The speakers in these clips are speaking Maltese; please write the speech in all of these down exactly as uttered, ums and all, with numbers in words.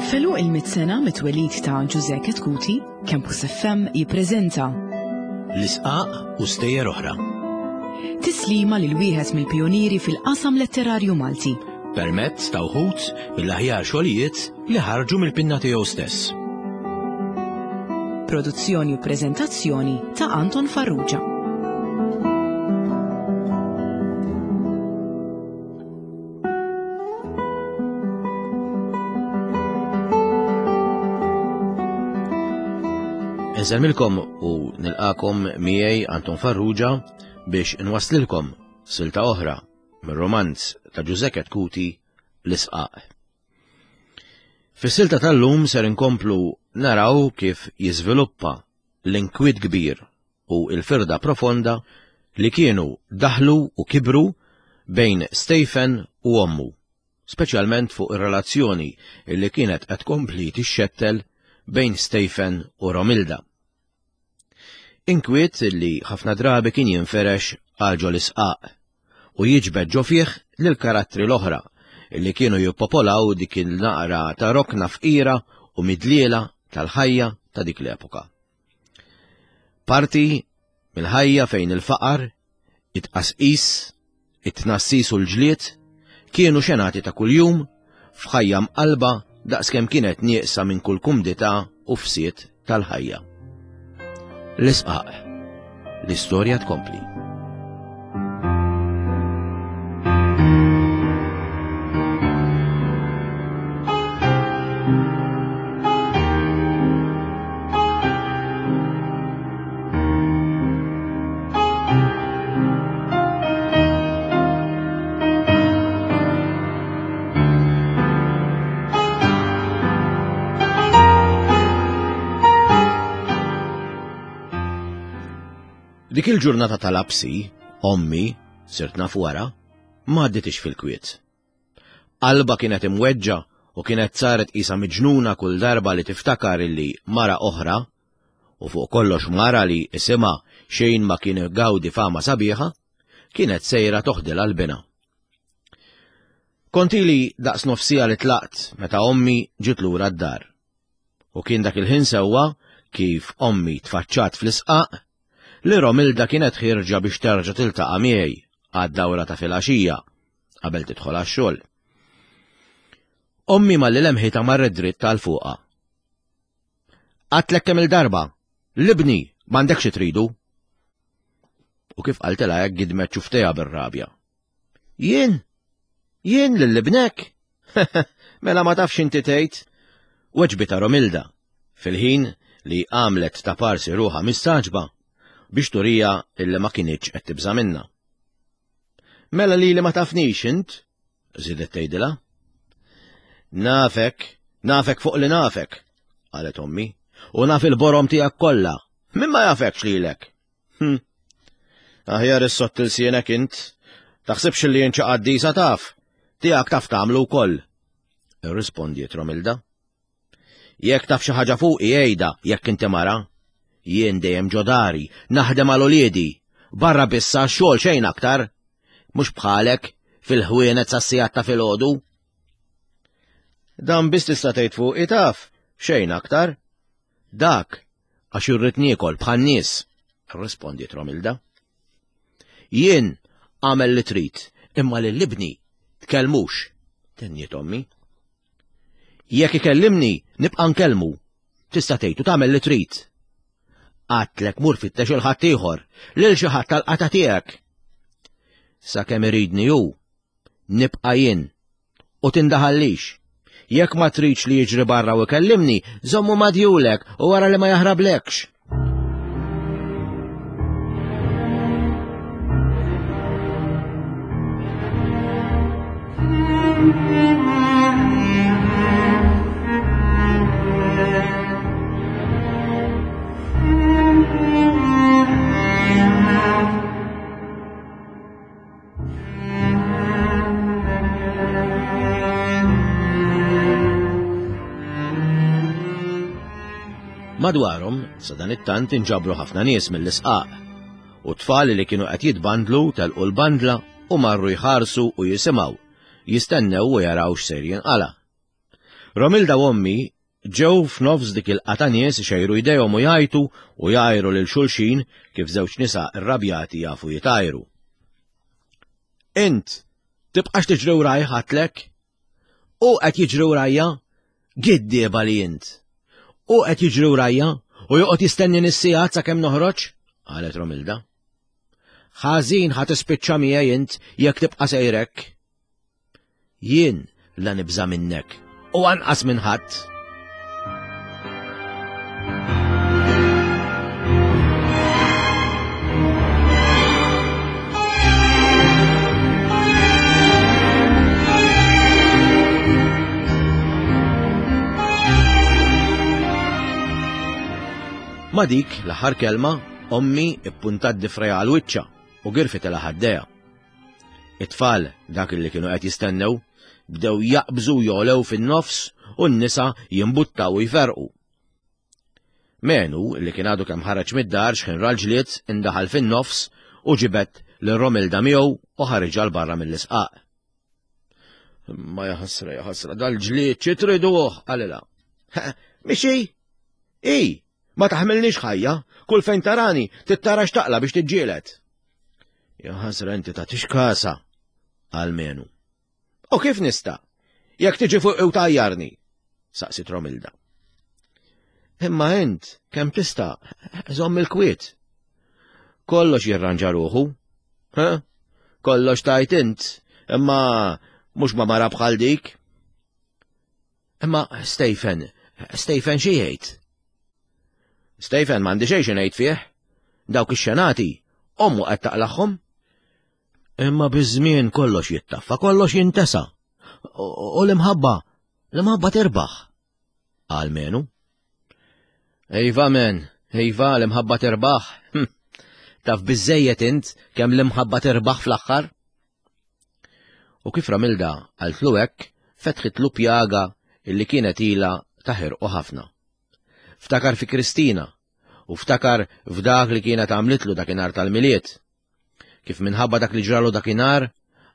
F'għeluq il-mitt sena mit-twelid ta' Ġużè Chetcuti, Campus F M jippreżenta L-Isqaq u Stejjer Oħra. Tislima lil wieħed mill-pionieri fil-qasam letterarju Malti. Permezz ta' wħud mill-aħjar xogħlijiet li ħarġu mill-pinna tiegħu stess. Produzzjoni u preżentazzjoni ta' Anton Farrugia. Insellmilkom u nilqakom miegħi Anton Farrugia biex nwaslilkom silta oħra mir-romanz ta' Ġużè Chetcuti, L-Isqaq. Fis-silta tal-lum ser inkomplu naraw kif jiżviluppa l-inkwiet kbir u l-firda profonda li kienu daħlu u kibru bejn Stephen u ommu, speċjalment fuq ir-relazzjoni li kienet qed tkompli tixxettel bejn Stephen u Romilda. Inkwiet li ħafna drabi kien jinferex għal ġo l-isqaq u jiġbed ġo fih lil karattri l-oħra li kienu jippopolaw dik il-naqra ta' rokna fqira u midliela tal-ħajja ta' dik l-epoka. Parti mill-ħajja fejn il-faqar, it-tqasqis, it-tnassis u l-ġlied kienu xenati ta' kuljum f'ħajja mqalba daqskemm kienet nieqsa minn kull kumdità u fsiet tal-ħajja. L-Isqaq. L-istorja tkompli. Dik il-ġurnata tal-lapsi, ommi, sirt naf wara, ma għadditix fil-kwiet. Qalba kienet imweġġa u kienet saret qisha miġnuna kull darba li tiftakar illi mara oħra, u fuq kollox mara li isimha xejn ma kien gawdi fama sabiħa, kienet sejra toħdilha l-bina. Kont ili daqs nofsija li tlaqt meta ommi ġiet lura d-dar. U kien dak il-ħin sewwa kif ommi tfaċċat fl-isqaq li Romilda kienet ħirġa biex terġa' tiltaqa' miegħi għad-dawra ta' filgħaxija qabel tidħol għax-xogħol. Ommi malli lemħitha marret dritt għal fuqha. Għedtlek kemm il-darba, 'l ibni m'għandekx tridu. U kif qaltilha hekk gidmet xufftejha bir-rabja. Jien? Jien lil ibnek? Mela ma tafx inti tgħid? Weġbitha Romilda, fil-ħin li għamlet ta' parsi ruħha mistagħġba biex turija illi ma kinitx qed tibża' minna. Mela li li ma tafnix int, żidet tgħidilha. Nafek, nafek fuq li nafek, qalet ommi, u naf il-borom tiegħek kollha. Min ma jafekx lilek? Hm. Aħjar issodd ilsienek int, taħsibx li jien qaddisa taf, tiegħek taf tagħmlu wkoll. Irrispondiet Romilda. Jekk taf xi ħaġa fuqi għidha jekk inti mara. Jien dejjem ġo dari, naħdem għal uliedi, barra biss għax-xogħol xejn aktar. Mhux bħalek fil-ħwienet sas-sigħat ta' filgħodu. Dan biss tista' tgħid fuqi taf, xejn aktar. Dak għax irrid niekol bħan-nies, irrispondiet Romilda. Jien għamel li trid, imma lil ibni tkellmux, tenniet ommi. Jekk ikellimni nibqa' nkellmu, tista' tgħid u tagħmel li trid. Għedtlek mur fittex 'il ħaddieħor, lil xi ħadd tal-qata tiegħek. Sakemm iridni hu, nibqa' jien u tindaħallix. Jekk ma tridx li jiġri barra u ikellimni, żommu ma' djulek u wara li ma jaħrablekx. Madwarhom, sa dan it-tant inġabru ħafna nies mill-isqaq, u tfal li kienu qed jitbandlu telqu l-bandla u marru jħarsu u jisimgħu, jistennew u jaraw x'ser jinqala. Romilda u ommi ġew f'nofs dik il-qata nies ixejru jdejhom u jgħajtu u jgħajru lil xulxin kif żewġ nisa rrabjati jafu jitajru. Int, tibqax tiġri wraj ħatlek? U qed jiġri wrajja? Giddieba li int. U qed jiġri wrajja u joqgħod jistenni nis-sigħat sakemm noħroġ? Qalet Romilda. Ħażin ħa tispiċċa miegħi int jekk tibqa' sejrek. Jien la nibża' minnek u anqas minn ħadd. Ma dik l-aħħar kelma, ommi ippuntat difreja għal wiċċha u girfet ilha ħaddejha. It-tfal, dak li kienu qed jistennew, bdew jaqbżu jolew fin-nofs u n-nisa jimbuttaw u jferqu. Menu, li kien għadu kemm ħareġ mid-dar x'ħin ra l-ġlied, indaħal fin-nofs u ġibed lil Romilda miegħu u ħariġha 'l barra mill-isqaq. Ma jaħasra, jaħasra, dal-ġlied xi triduh, qalilha. Mixi? I, ma taħmilniex ħajja, kull fejn tarani tittara x'taqla biex tiġġieled. Jaħasra inti tagħtix kasa, qal Menu. U kif nista'? Jekk tiġi fuq u tajjarni, saqsit Romilda. Imma int kemm tista' żomm il-kwiet. Kollox jirranġa ruħu. Ha? Kollox tajt int, imma mhux ma mara bħal dik. Imma Stephen, Stephen xi jgħid? Stephen m'għandi xejn xi ngħid fih. Dawk ix-xenati, ommu qed taqlaħħom. Imma biż-żmien kollox jittaffa, kollox jintesa. U l-imħabba, l-imħabba tirbaħ. Qal Menu. Iva men, iva l-imħabba tirbaħ. Taf biżejjed int kemm l-imħabba tirbaħ fl-aħħar? U kif Romilda qaltlu hekk, fetħitlu pjaga illi kienet ilha taħirqu ħafna. Ftakar fi Kristina u ftakar f'dak li kienet għamlitlu dakinhar tal-Milied. Kif minħabba dak li ġralu dakinhar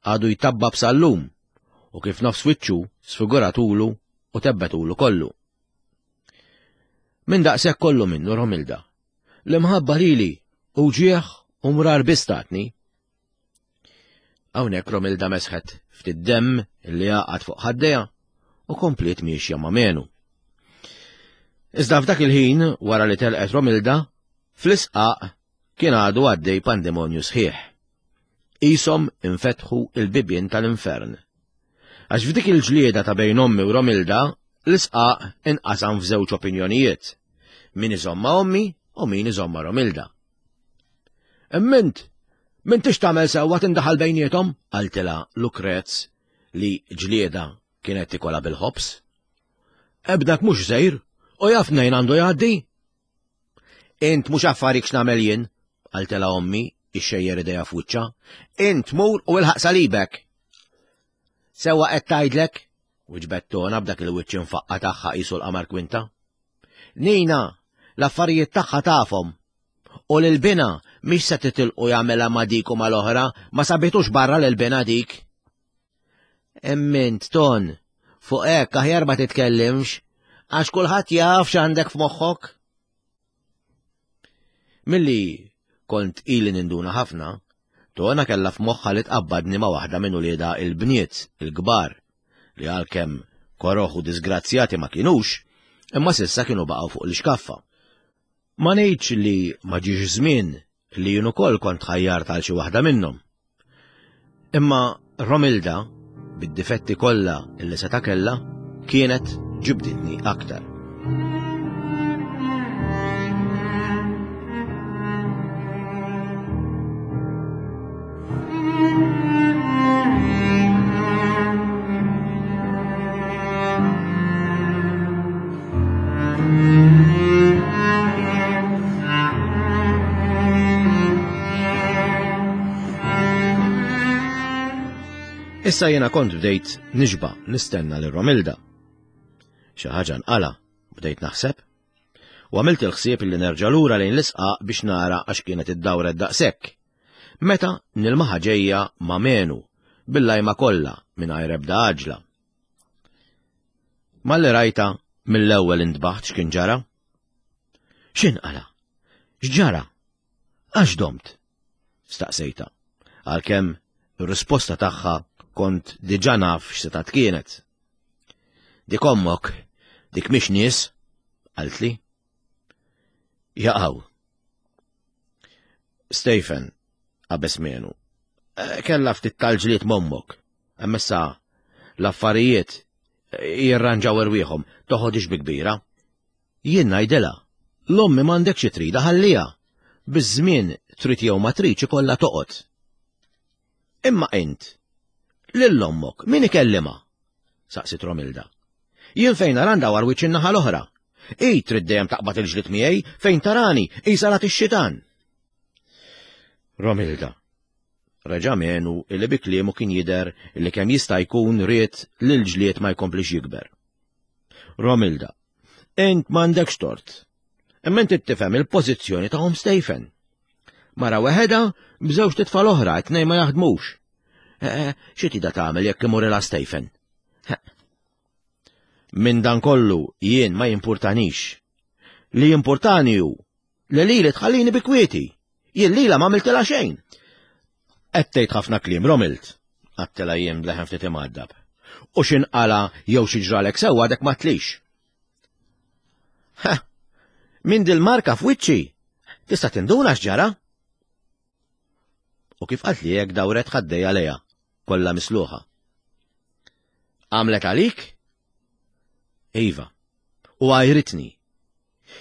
għadu jtabbab sal-lum u kif nofs wiċċu sfiguratulu u tebbetulu kollu. Min daqshekk kollu minnu Romilda. L-imħabba lili u ġieħ u mrar biss tatni. Hawnhekk Romilda mesħet ftit demm li għaqad fuq ħaddejha u kompliet miexja ma' Menu. Iżda f'dak il-ħin, wara li telqet Romilda, fl-isqaq kien għadu għaddej pandemonju sħiħ. Qishom infetħu il-bibien tal-infern. Għax f'dik il-ġlieda ta' bejn ommi u Romilda, l-isqaq inqasam f'żewġ opinjonijiet. Min iżomm ma' ommi u min iżomm ma' Romilda. Imma int, m'intix tagħmel sewwa tindaħal bejniethom, qaltilha Lukrez li ġlieda kienet tikola bil-ħobż. Ebdak mhux żejr, u jaf mnejn għandu jgħaddi. Int mhux affarik x'nagħmel jien, qaltilha ommi ixxejjer idejha f'wiċċha. Int mur u ilħaq salibek. Sewwa qed tgħidlek, wiġbet Tona b'dak il-wiċċ infaqqa tagħha qisu l-qamar kwinta. Nina, l-affarijiet tagħha tafhom. U lil bina mhix se titilqu jagħmilha ma' dik u mal-oħra, ma sabitux barra lil bina dik. Emmint, Ton, fuq hekk aħjar ma titkellimx, għax kulħadd jaf x'għandek f'moħħok. Milli kont ili ninduna ħafna, Tona kellha f'moħħha li tqabbadni ma' waħda minn uliedha il-bniet, il-kbar, li għalkemm koroħ u disgrazzjati ma kinux, imma s'issa kienu baqgħu fuq l-ixkaffa. Ma ngħidx li ma ġiex żmien li jien ukoll kont ħajjart għal xi waħda minnhom. Imma Romilda, bid-difetti kollha li seta' kellha, kienet ġibditni aktar. Issa jiena kont bdejt nixba' nistenna lil Romilda. Xi ħaġa nqala, bdejt naħseb. U għamilt il-ħsieb li nerġa' lura lejn l-isqaq biex nara għax kienet iddawret daqshekk. Meta nilmaħa ġejja ma' Menu, bil-lajma kollha mingħajr ebda għaġla. Malli rajtha mill-ewwel intbaħt x'kien ġara. X'inqala? X'ġara? Għax domt? Staqsejta. Għalkemm ir-risposta tagħha kont diġà naf x'setgħet kienet. Dik ommok, dik mhix nies, qaltli. Jaqaw. Stephen, qabeż menu. Kella ftit tal-ġlied m'ommok. Imma issa l-affarijiet jirranġaw irwieħhom, toħodix bi kbira. Jien ngħidilha, 'l ommi m'għandekx trida ħalliha. Biż-żmien trid jew ma tridx ikollha toqgħod. Imma int, lil ommok min ikellima? Saqsit Romilda. Jien fejn nara ndawar wiċċi n-naħa l-oħra. Hi trid dejjem taqbad il-ġlied miegħi fejn tarani, qisha rat ix-xitan. Romilda. Reġa' menu illi bi kliemu kien jidher illi kemm jista' jkun ried li l-ġlied ma jkomplix jikber. Romilda, int m'għandekx tort. Imma inti tifhem il-pożizzjoni ta' omm Stephen. Mara weħeda b'żewġ titfal oħra, tnejn ma jaħdmux. Eh, xi tida tagħmel jekk imurilha Stephen? Minn dan kollu jien ma jimpurtanix. Li jimpurtani hu li lili tħallini bi kwieti. Jien lila ma għamiltilha xejn. Qed tgħid ħafna kliem Romild, għedtilha jien b'leħen ftit imgħaddab. U x'inqala jew xi ġralek sewwa għadek ma tlix. Ha, minn dil-marka f'wiċċi, tista' tinduna x'ġara? U kif qaltli hekk dawret ħaddejha lejha, kollha misluħa. Għamlet għalik? Iva, u għajritni.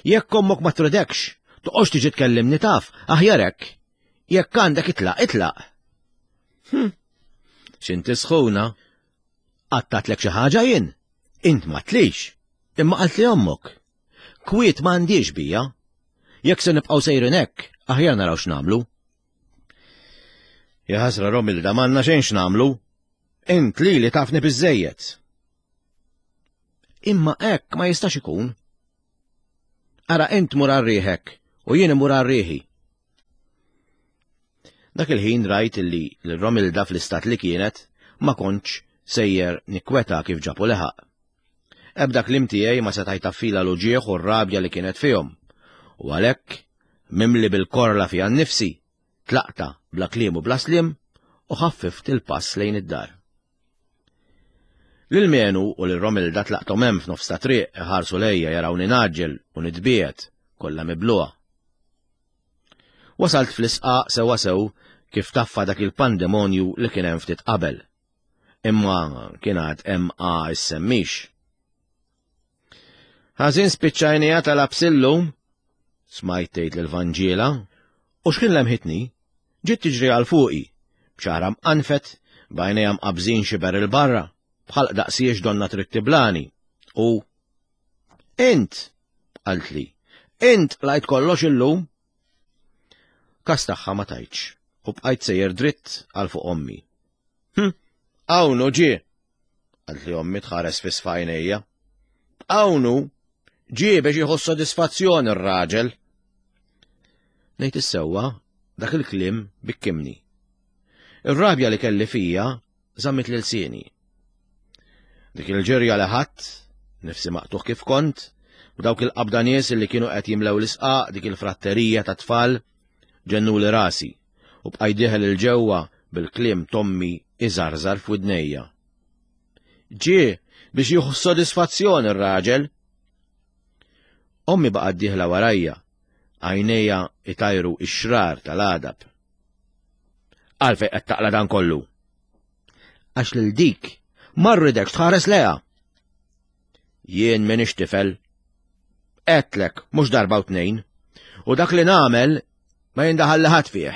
Jekk ommok ma tridekx, toqgħodx tiġi tkellimni taf, aħjar hekk. Jekk għandek itlaq, itlaq. Hm, x'inti sħuna? Qatgħatlek xi ħaġa jien? Int ma tlix, imma qaltli ommok. Kwiet m'għandix bija. Jekk se nibqgħu sejrin hekk, aħjar naraw x'nagħmlu. Ja ħasra Romilda m'għandna xejn x'nagħmlu. Int lili tafni biżejjed. Imma hekk ma jistax ikun. Ara int mur għal riħek u jien imur għal riħi. Dak il-ħin rajt illi l-Romilda fl-istat li kienet ma kontx sejjer nikweta kif ġabu leħaq. Ebda kliem tiegħi ma seta' jtaffila l-uġigħ u r-rabja li kienet fihom. U għalhekk, mimli bil-korla fija nnifsi, tlaqta bla kliem u bla sliem u ħaffift il-pass lejn id-dar. Lil Menu u lil Romilda tlaqthom hemm f'nofs ta' triq iħarsu lejja jarawni ngħaġġel u nitbiegħed kollha mibluha. Wasalt fl-isqaq sewa sew kif taffa dak il-pandemonju li kien hemm ftit qabel. Imma kien għad hemm a issemmix. Ħażin spiċċajnija tal-absillu, smajt tgħid lill-Vanġiela, u x'kien lemħitni, ġiet tiġri għal fuqi, b'xagħarha mqanfed, b'għajnejha mqabżin xiber il-barra, bħal daqsiex donna trid tiblani. U int, qaltli, int lajt kollox illum. Kas tagħha ma tajtx, u bqajt sejjer dritt għal fuq ommi. Hm, hawnhu ġie, qaltli ommi tħares fi sfajnejja. Hawnhu ġie biex jieħu sodisfazzjon ir-raġel. Ngħid is-sewwa, dak il-kliem bikkimni. Ir-rabja li kelli fija żammit lil sieni. Dik il-ġirja li ħadd, nifsi maqtuħ kif kont, u dawk il-qabda nies li kienu qed jimlew l-isqaq dik il-fratterija ta' tfal ġennuli rasi u bqajt dieħel 'il ġewwa bil-kliem t'ommi iżarżar f'widnejja. Ġie biex jieħu sodisfazzjon ir-raġel. Ommi baqgħet dieħla warajja, għajnejha itajru ix-xrar tal-għadab. Għalfejn qed taqla dan kollu? Għax lil dik ma rridekx tħares leha. Jien m'iniex tifel. Għedtlek mhux darba u tnejn. U dak li nagħmel ma jindaħal ħadd fih.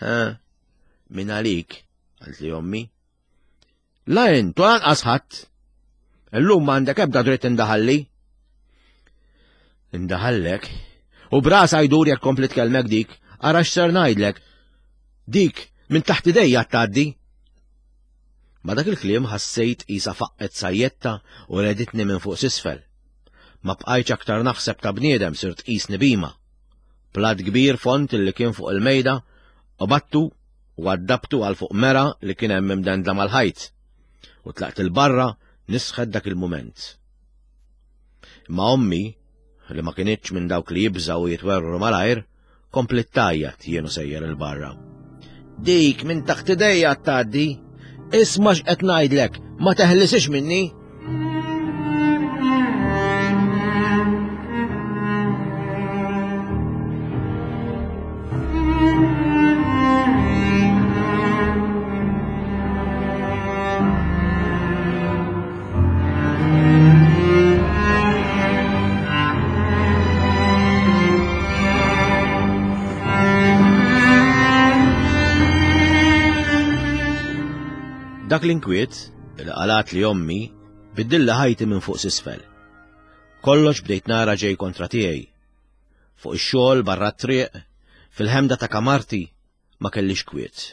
Ha? Min għalik, qaltli ommi. La int u lanqas ħadd. Illum m'għandek ebda dritt indaħalli. Indaħallek. U brasa jdur jekk kompli tkellmek dik, ara x'ser ngħidlek. Dik minn taħt idejja tgħaddi. Ma dak il-kliem ħassejt qisha faqqet sajjetta u reditni minn fuq s'isfel. Ma bqajtx aktar naħseb ta' bniedem sirt qisni bhima. Plat kbir fond li kien fuq il-mejda, u battu u għaddabtu għal fuq mera li kien hemm imdendla mal-ħajt. U tlaqt il-barra nisħed dak il-mument. Imma ommi, li ma kinitx minn dawk li jibżgħu u jitwerwru malajr, kompliet tgħajjat jien u sejjer 'il barra. Dik minn taħt idejja tgħaddi, isma' x'qed ngħidlek, ma teħlisix minni. Dak l-inkwiet, li qalat li ommi, biddilli ħajti minn fuq s'isfel. Kollox bdejt nara ġej kontra tiegħi. Fuq ix-xogħol barra t-triq, fil-ħemda ta' kamarti, ma kellix kwiet.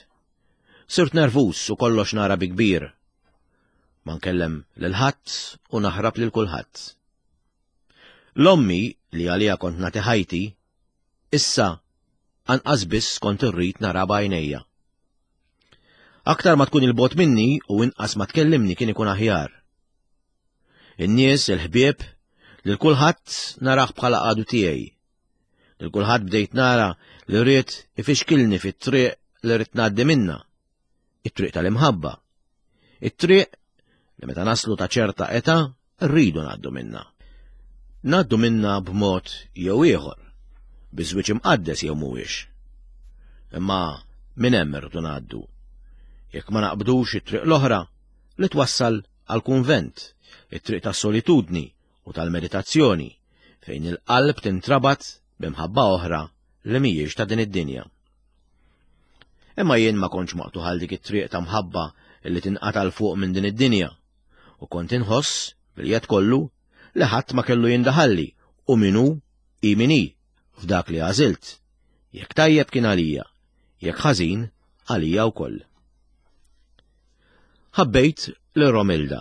Sirt nervus u kollox nara bi kbir. Ma nkellem lil ħadd u naħrab lil kulħadd. L-ommi li għalija kont nagħti ħajti, issa anqas biss kont irrid nara b'għajnejja. Aktar ma tkun il-bogħod minni u inqas ma tkellimni kien ikun aħjar. In-nies, il-ħbieb, lil kulħadd narah bħala għadu tiegħi. Lil kulħadd bdejt nara li rrid ifixkilni fit-triq li rrid ngħaddi minna. It-triq tal-imħabba. It-triq li meta naslu ta' ċerta età rridu ngħaddu minna. Ngħaddu minna b'mod jew ieħor, bi żwieġ imqaddes jew mhuwiex. Imma minn hemm irridu ngħaddu. Jekk ma naqbdux it-triq l-oħra li twassal għal-kunvent, it-triq tas-solitudni u tal-meditazzjoni, fejn il-qalb tintrabat b'imħabba oħra li mhijiex ta' din id-dinja. Imma jien ma kontx maqtugħ għal dik it-triq ta' mħabba li tinqata' 'l fuq minn din id-dinja, u kont inħoss bil-jed kollu li ħadd ma kellu jindaħalli u min hu hi min hi f'dak li għażilt. Jekk tajjeb kien għalija, jekk ħażin għalija wkoll. Ħabbejt lil Romilda,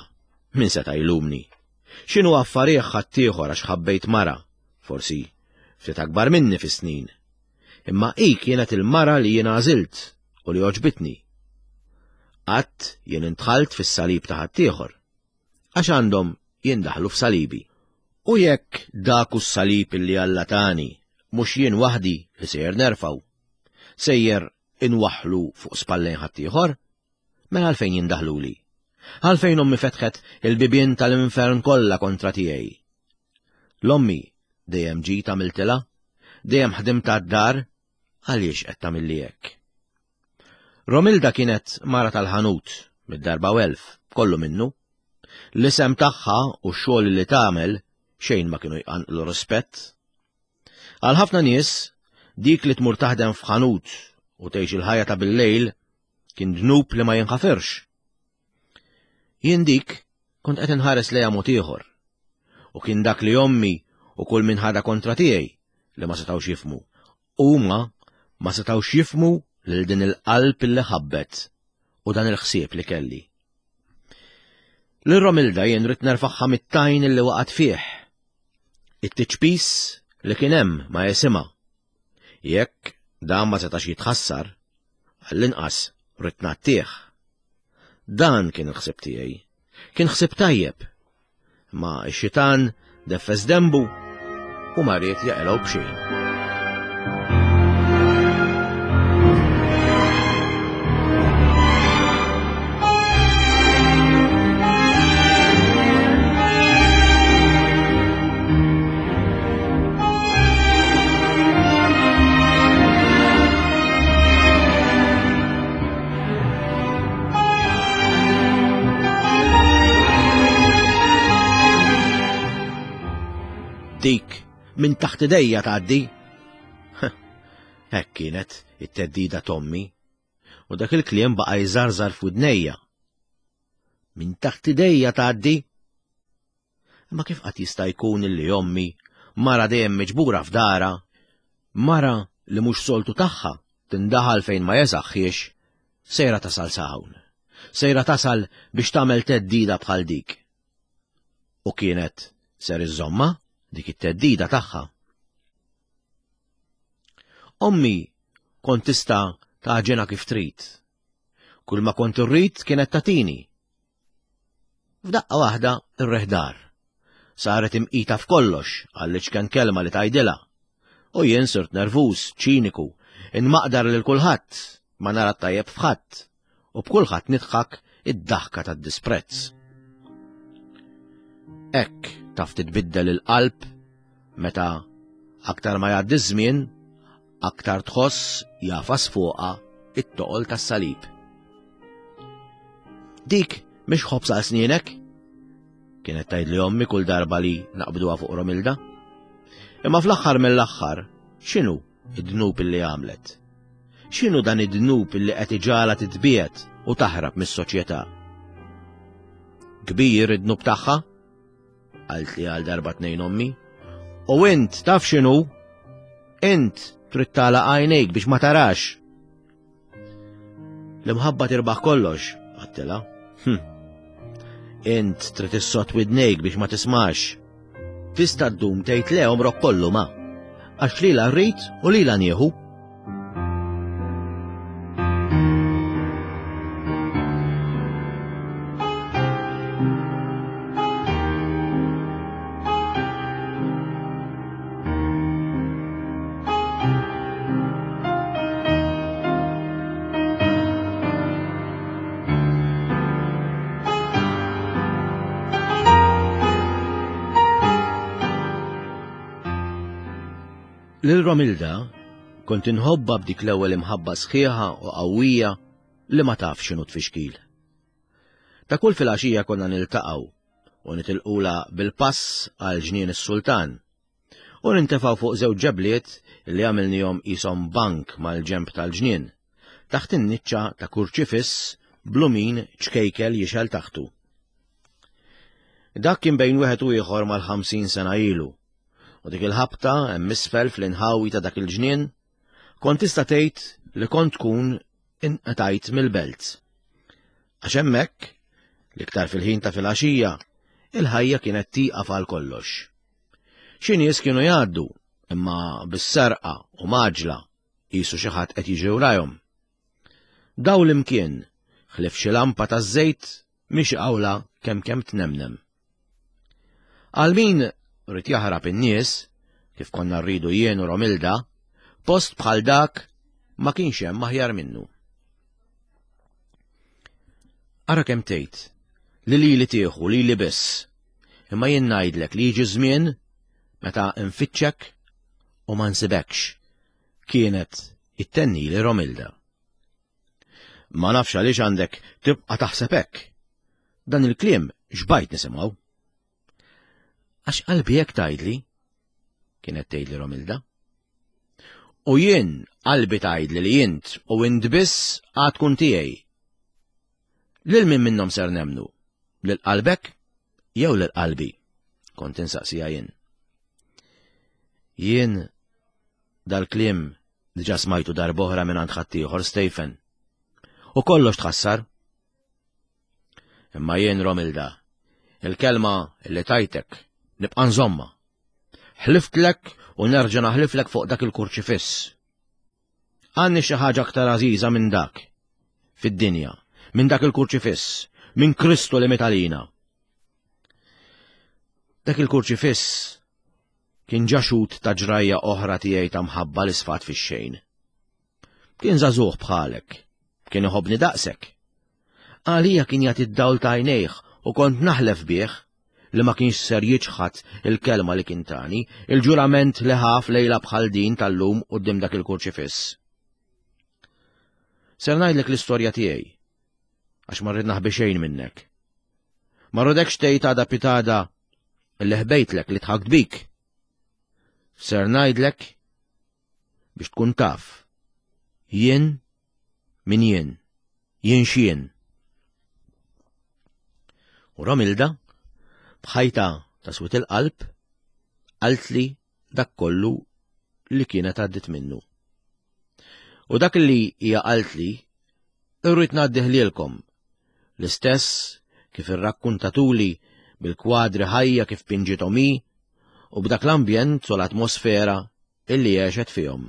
min seta' jlumni. X'inhu affarih ħaddieħor għax ħabbejt mara, forsi ftit akbar minni fis-snin. Imma hi kienet il-mara li jien għażilt u li għoġbitni. Qatt jien intħalt fis-salib ta' ħaddieħor, għax għandhom jindaħlu f'salibi. U jekk dak hu s-salib li Alla tani, mhux jien waħdi li sejjer nerfgħu, sejjer inwaħħlu fuq spallejn ħaddieħor, mela għalfejn jindaħluli? Għalfejn ommi fetħet il-bibien tal-infern kollha kontra tiegħi? L-ommi dejjem ġiet għamiltilha, dejjem ħdimt għad-dar, għaliex qed tagħmilli hekk? Romilda kienet mara tal-ħanut, mid-darba u elf, kollu minnu. L-isem tagħha u x-xogħol li tagħmel xejn ma kienu jqanqlu rispett. Għal ħafna nies, dik li tmur taħdem f'ħanut u tgħix il-ħajja ta' bil-lejl kien dnub li ma jinħafirx. Jien dik kont qed inħares lejha mod ieħor. U kien dak li ommi u kull min ħadha kontra tiegħi li ma setgħux jifhmu. Huma ma setgħux jifhmu lil din il-qalb li ħabbet u dan il-ħsieb li kelli. Lil Romilda jien rrid nerfaħħa mit-tajn li waqgħet fih. It-tiċpis li kien hemm ma jisimha. Jekk dan ma setax jitħassar, għall-inqas rrid ngħattih. Dan kien il-ħsieb tiegħi. Kien ħsieb tajjeb. Ma x-xitan deffes dembu u ma ried jaqilgħu b'xejn. Dik minn taħt idejja tgħaddi. Hekk kienet it-theddida t'ommi, u dak il-kliem baqa' jżarżar f'widnejja. Minn taħt idejja tgħaddi. Imma kif qatt jista' jkun illi ommi, mara dejjem miġbura f'dara, mara li mhux soltu tagħha tindaħal fejn ma jesaħħiex, sejra tasal sa hawn. Sejra tasal biex tagħmel theddida bħal dik. U kienet ser iżżommha dik it-theddida tagħha. Ommi kont tista' tagħġinha kif trid. Kull ma kont irrid kienet tagħtini. F'daqqa waħda ir-riħ dar. Saret imqita f'kollox għall-iċken kelma li tgħidilha. U jien sirt nervuż, ċiniku, inmaqdar lil kulħadd, ma nara tajjeb f'ħadd, u b'kulħadd nidħak id-daħka tad-disprezz. Hekk taf titbiddel il-qalb meta aktar ma jgħaddi ż-żmien, aktar tħoss jafas fuqha it-toqol tas-salib. Dik mhix ħobż għal snienek? Kienet tgħidli ommi kull darba li naqbduha fuq Romilda. Imma fl-aħħar mill-aħħar, x'inhu id-dnub illi għamlet? X'inhu dan id-dnub illi qed iġagħalha titbiegħed u taħrab mis-soċjetà? Kbir id-dnub tagħha? Qaltli għal darba tnejn ommi. U int taf x'inhu? Int trid tagħlaq għajnejk biex ma tarax. L-imħabba tirbaħ kollox, għattilha. Hm. Int trid issod widnejk biex ma tismax. Tista' ddum tgħid le għomrok kollu ma. Għax lilha rrid u lilha nieħu. Lil Romilda kont inħobbha b'dik l-ewwel imħabba sħiħa u qawwija li ma taf x'inhu tfixkil. Ta' kull filgħaxija konna niltaqgħu u nitilqula bil-pass għal ġnien is-sultan u nintefgħu fuq żewġ ġebliet li għamilnihom qishom bank mal-ġenb tal-ġnien, taħt in-niċċa ta' kurċifiss blumin ċkejkel jixgħel taħtu. Dak kien bejn wieħed u ieħor mal-ħamsin sena ilu. U dik il-ħabta hemm isfel fl-inħawi ta' dak il-ġnien, kont tista' tgħid li kont tkun inqtajt mill-belt. Għax hemmhekk, l-iktar fil-ħin ta' filgħaxija, il-ħajja kienet tieqaf għal kollox. Xi nies kienu jgħaddu, imma bis-serqa u maġla qisu xi ħadd qed jiġri warahom. Dawl imkien, ħlief xi lampa taż-żejt mhix qawla kemm kemm tnemnem. Għal min rrid jaħrab in-nies, kif konna rridu jien u Romilda, post bħal dak ma kienx hemm aħjar minnu. Ara kemm tgħid li lili tieħu lili biss, imma jien ngħidlek li jiġi żmien meta nfittxek u ma nsibekx, kienet ittennili Romilda. Ma nafx għaliex għandek tibqa' taħseb hekk. Dan il-kliem xbajt nisimgħu. Għax qalbi hekk tgħidli, kienet tgħidli Romilda. U jien qalbi tgħidli li int u int biss għad tkun tiegħi. Lil min minnhom ser nemnu? Lil qalbek jew lil qalbi? Kont insaqsija jien. Jien dal-kliem diġà smajtu darb'oħra minn għand ħaddieħor Stephen. U kollox tħassar. Imma jien Romilda, il-kelma li tajtek nibqa' nżomma. Ħliftlek u nerġa' naħliflek fuq dak il-kurċifiss. Għandni xi ħaġa aktar għażiża minn dak fid-dinja, minn dak il-kurċifiss, minn Kristu li miet għalina. Dak il-kurċifiss kien ġa xhud ta' ġrajja oħra tiegħi ta' mħabba li sfat fix-xejn. Kien żagħżugħ bħalek, kien iħobbni daqsek. Għalija kien jagħti d-dawl ta' għajnejh u kont naħlef bih li ma kienx ser jiċħad il-kelma li kien tani, il-ġurament li ħaf lejla bħal din tal-lum quddiem dak il-kurċifiss. Ser ngħidlek l-istorja tiegħi, għax ma rrid naħbi xejn minnek. Ma rridekx tgħid għada pitada li ħbejtlek li tħakt bik. Ser ngħidlek biex tkun taf. Jien min jien, jien x'jien. U Romilda, bħajta ta' swit il-qalb, qaltli dak kollu li kienet għaddit minnu. U dak li hija qaltli, irrid ngħaddih lilkom, l-istess kif irrakkuntatuli bil-kwadri ħajja kif pinġithom hi u b'dak l-ambjent u l-atmosfera illi għexet fihom.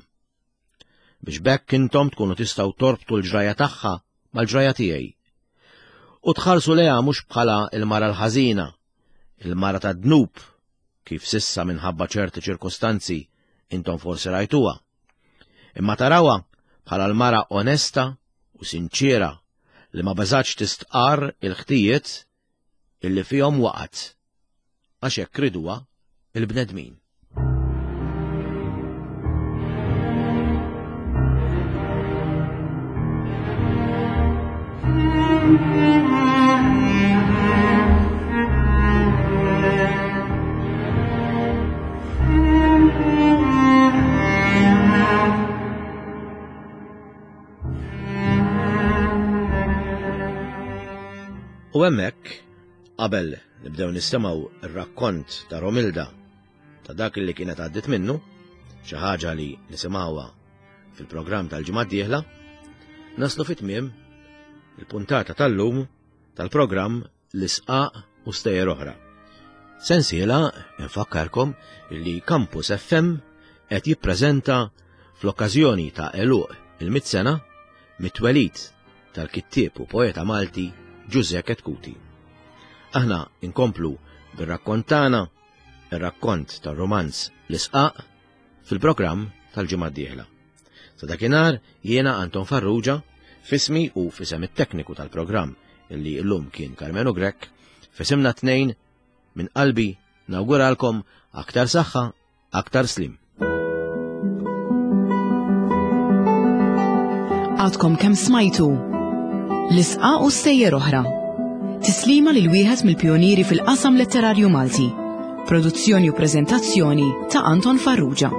Biex b'hekk intom tkunu tistgħu torbtu l-ġraja tagħha mal-ġraja tiegħi. U tħarsu lejha mhux bħala il-mara l-ħażina, il-mara tad-dnub, kif sissa minħabba ċerti ċirkostanzi intom forsi rajtuha. Imma tarawha bħala l-mara onesta u sinċiera li ma beżgħetx tistqarr il-ħtijiet illi fihom waqgħet għax hekk riduha il-bnedmin. U hemmhekk, qabel nibdew nisimgħu ir-rakkont ta' Romilda ta' dak li kienet għaddit minnu, xi ħaġa li nisimgħuha fil-programm tal-ġimgħa d-dieħla, naslu fit-tmiem il-puntata tal-lum tal-programm L-Isqaq u Stejjer Oħra. Sensiela nfakkarkom li Campus F M qed jippreżenta fl-okkażjoni ta' għeluq il-mitt sena mit-twelid tal-kittieb u poeta Malti Ġużè Chetcuti. Aħna inkomplu bir-rakkont tagħna, ir-rakkont tar-romanz L-Isqaq, fil-programm tal-ġimgħa d-dieħla. Sa dakinhar jiena Anton Farrugia, f'ismi u f'isem it-tekniku tal-programm illi llum kien Carmenu Grech, f'isimna tnejn minn qalbi nawguralkom aktar saħħa, aktar slim. Għadkom kemm smajtu L-Isqaq u Stejjer Oħra. Tislima lil wieħed mill-pjonieri fil-qasam letterarju Malti. Produzzjoni u preżentazzjoni ta' Anton Farrugia.